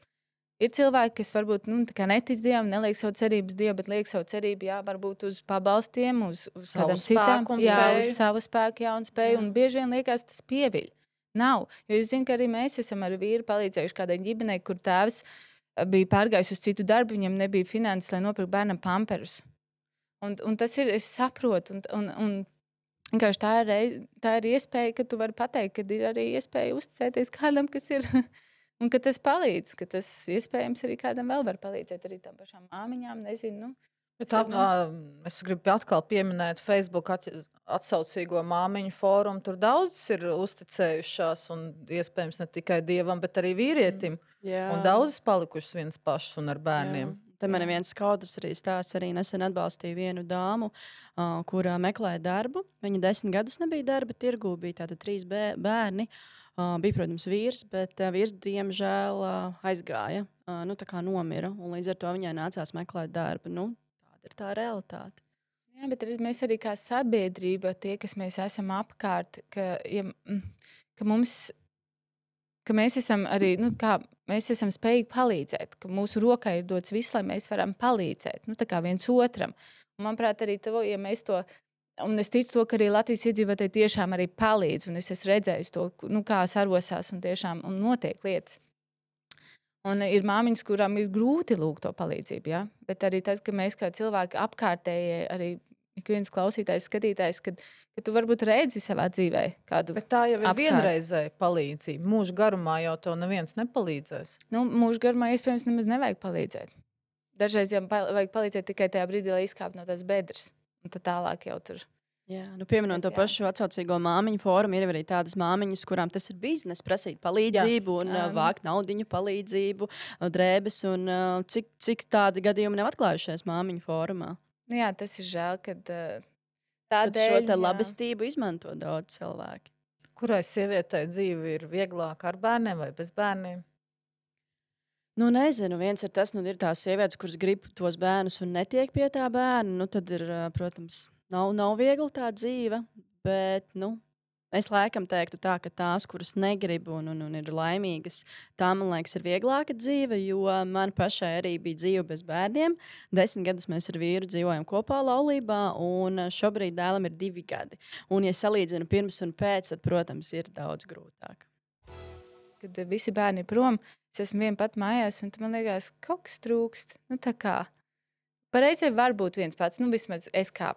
Ir cilvēki, kas varbūt nu, netic Dievam, neliek savu cerību uz Dievu, bet liek savu cerību, jā, varbūt uz pabalstiem, uz, uz kādam citām, jā, uz savu spēku, jā, un spēju, jā. Un bieži vien liekas tas pieviļ. Nav, jo es zinu, ka arī mēs esam ar vīru palīdzējuši kādai ģimenei, kur tēvs bija pārgājis uz citu darbu, viņam nebija finanses, lai nopirkt bērnam pamperus. Un, un tas ir, es saprotu, un, un, un vienkārši tā ir, reiz, tā ir iespēja, ka tu vari pateikt, ka ir arī iespēja uzticēties kādam, kas ir, un ka tas palīdz, ka tas iespējams arī kādam vēl var palīdzēt, arī tām pašām māmiņām, nezinu. Nu, Bet tā, es gribu atkal pieminēt Facebook atsaucīgo māmiņu fórumu. Tur daudz ir uzticējušās, un iespējams ne tikai Dievam, bet arī vīrietim. Jā. Un daudz palikušas viens pašs un ar bērniem. Jā. Te man viens skaudrs arī stāsts, arī nesen atbalstīja vienu dāmu, uh, kur uh, meklēja darbu. Viņa desmit gadus nebija darba tirgū, bija tātad trīs bērni. Uh, bija, protams, vīrs, bet uh, vīrs, diemžēl, uh, aizgāja, uh, nu, tā kā nomira. Un līdz ar to viņai nācās meklēt darbu. Nu, tāda ir tā realitāte. Jā, bet arī mēs arī kā sabiedrība, tie, kas mēs esam apkārt, ka, ja, ka mums... ka mēs esam arī, nu, kā, mēs esam spējīgi palīdzēt, ka mūsu rokā ir dots viss, lai mēs varam palīdzēt, nu, tā kā viens otram. Un, manuprāt, arī to, ja mēs to, un es ticu to, ka arī Latvijas iedzīvotāji tiešām arī palīdz, un es esmu redzējis to, nu, kā sarosās un tiešām un notiek lietas. Un ir māmiņas, kurām ir grūti lūgt to palīdzību, ja? Bet arī tas, ka mēs kā cilvēki apkārtējie arī ik viens klausītājs, skatītājs, kad, kad tu varbūt redzi savā dzīvē kādu. Bet tā jau ir apkārt. vienreizēja palīdzība. Mūža garumā jau tev neviens nepalīdzēs. Nu, mūža garumā iespējams nemaz nevajag palīdzēt. Dažreiz jau vajag palīdzēt tikai tajā brīdī, lai izkāptu no tās bedres. Un tad tālāk jau tur. Jā, nu pieminot to jā. pašu atsaucīgo māmiņu fórumu, ir arī tādas māmiņas, kurām tas ir biznes, prasīt palīdzību jā. un um. vākt naudiņu palīdzību, drēbes. Un, cik, cik tādi gadījumi nav atklājušies māmiņu fórumā? Nu, jā, tas ir žēl, kad uh, Tad tādēļ šo te jā. labestību izmanto daudz cilvēki. Kurai sievietei dzīve ir vieglāka ar bērniem vai bez bērniem? Nu, nezinu, viens ir tas, nu, ir tās sievietes, kuras grib tos bērnus un netiek pie tā bērna. Nu, tad ir, ā, protams, nav, nav viegli tā dzīve, bet, nu, es laikam teiktu tā, ka tās, kuras negrib un, un, un ir laimīgas, tā, man liekas, ir vieglāka dzīve, jo man pašai arī bija dzīve bez bērniem. Desmit gadus mēs ar vīru dzīvojam kopā laulībā, un šobrīd dēlam ir divi gadi. Un, ja salīdzinu pirms un pēc, tad, protams, ir daudz grūtāk. Kad uh, visi bērni ir prom, es esmu viena pat mājās, un tad man liekas, kaut kas trūkst. Nu, tā kā pareizē var būt viens pats, nu, vismaz es kā,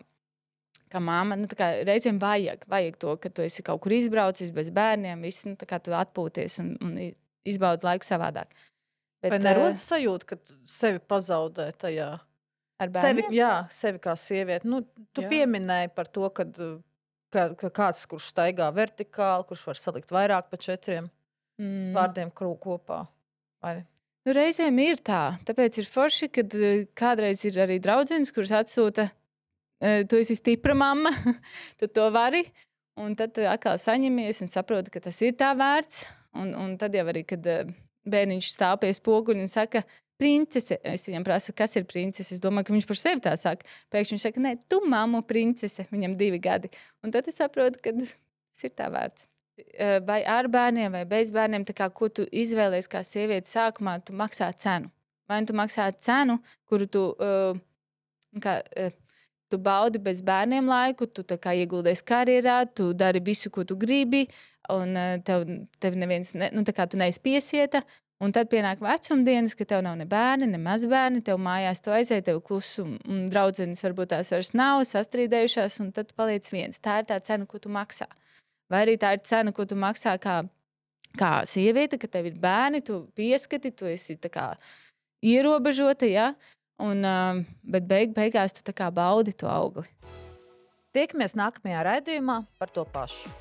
kā māma, nu, tā kā reizēm vajag, vajag to, ka tu esi kaut kur izbraucis bez bērniem, viss, nu, tā kā tu atpūties un, un izbaudi laiku savādāk. Bet, Vai nerodas sajūta, ka tu sevi pazaudē tajā? ar Sevi, bērniem? jā, sevi kā sievieti. Nu, tu Jā. pieminēji par to, kad, ka, ka kāds, kurš staigā vertikāli, kurš var salikt vairāk pa četriem Mm. vārdiem krū kopā. Vai? Nu, reizēm ir tā. Tāpēc ir forši, kad eh, kādreiz ir arī draudzenes, kuras atsūta, eh, tu esi stipra mamma, tu to vari. Un tad tu atkal saņemies un saproti, ka tas ir tā vērts. Un, un tad jau arī, kad eh, bērniņš stāv pie spoguļa un saka, princese, es viņam prasu, kas ir princese. Es domāju, ka viņš par sevi tā saka. Pēkšņi viņš saka, nē, tu mammu princese, viņam divi gadi. Un tad es saprotu, ka tas ir tā vērts. Eh, Vai ar bērniem, vai bez bērniem, tā kā, ko tu izvēlies kā sieviete sākumā, tu maksā cenu. Vai tu maksā cenu, kuru tu, uh, kā, uh, tu baudi bez bērniem laiku, tu tā kā ieguldies karjerā, tu dari visu, ko tu gribi, un uh, tev, tev neviens, ne, nu, tā kā tu neesi piesieta, un tad pienāk vecumdienas, ka tev nav ne bērni, ne mazbērni, tev mājās tu aizēji, tev klusu, un, un draudzenes varbūt tās vairs nav, sastrīdējušās, un tad tu paliec viens. Tā ir tā cena, ko tu maksā. Vai arī tā ir cena, ko tu maksā kā, kā sieviete, ka tev ir bērni, tu pieskati, tu esi tā kā ierobežota, ja? Un, um, bet beig, beigās tu tā kā baudi to augli. Tiekamies nākamajā raidījumā par to pašu.